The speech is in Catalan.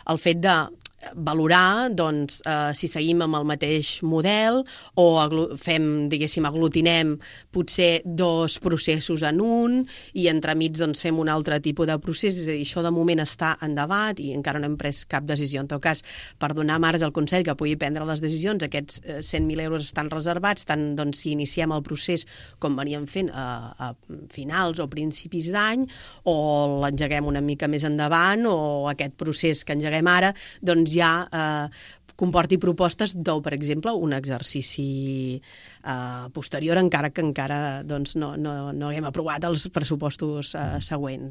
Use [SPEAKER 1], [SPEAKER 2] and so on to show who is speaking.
[SPEAKER 1] el fet de valorar doncs, si seguim amb el mateix model o fem, diguéssim, aglutinem potser dos processos en un i entremig doncs, fem un altre tipus de procés. És a dir, això de moment està en debat i encara no hem pres cap decisió. En tot cas, per donar marge al Consell que pugui prendre les decisions, aquests 100.000 euros estan reservats, tant doncs, si iniciem el procés com veníem fent a finals o principis d'any, o l'engeguem una mica més endavant, o aquest procés que engeguem ara, doncs ja comporti propostes per exemple, un exercici posterior, encara que encara doncs, no haguem aprovat els pressupostos següents.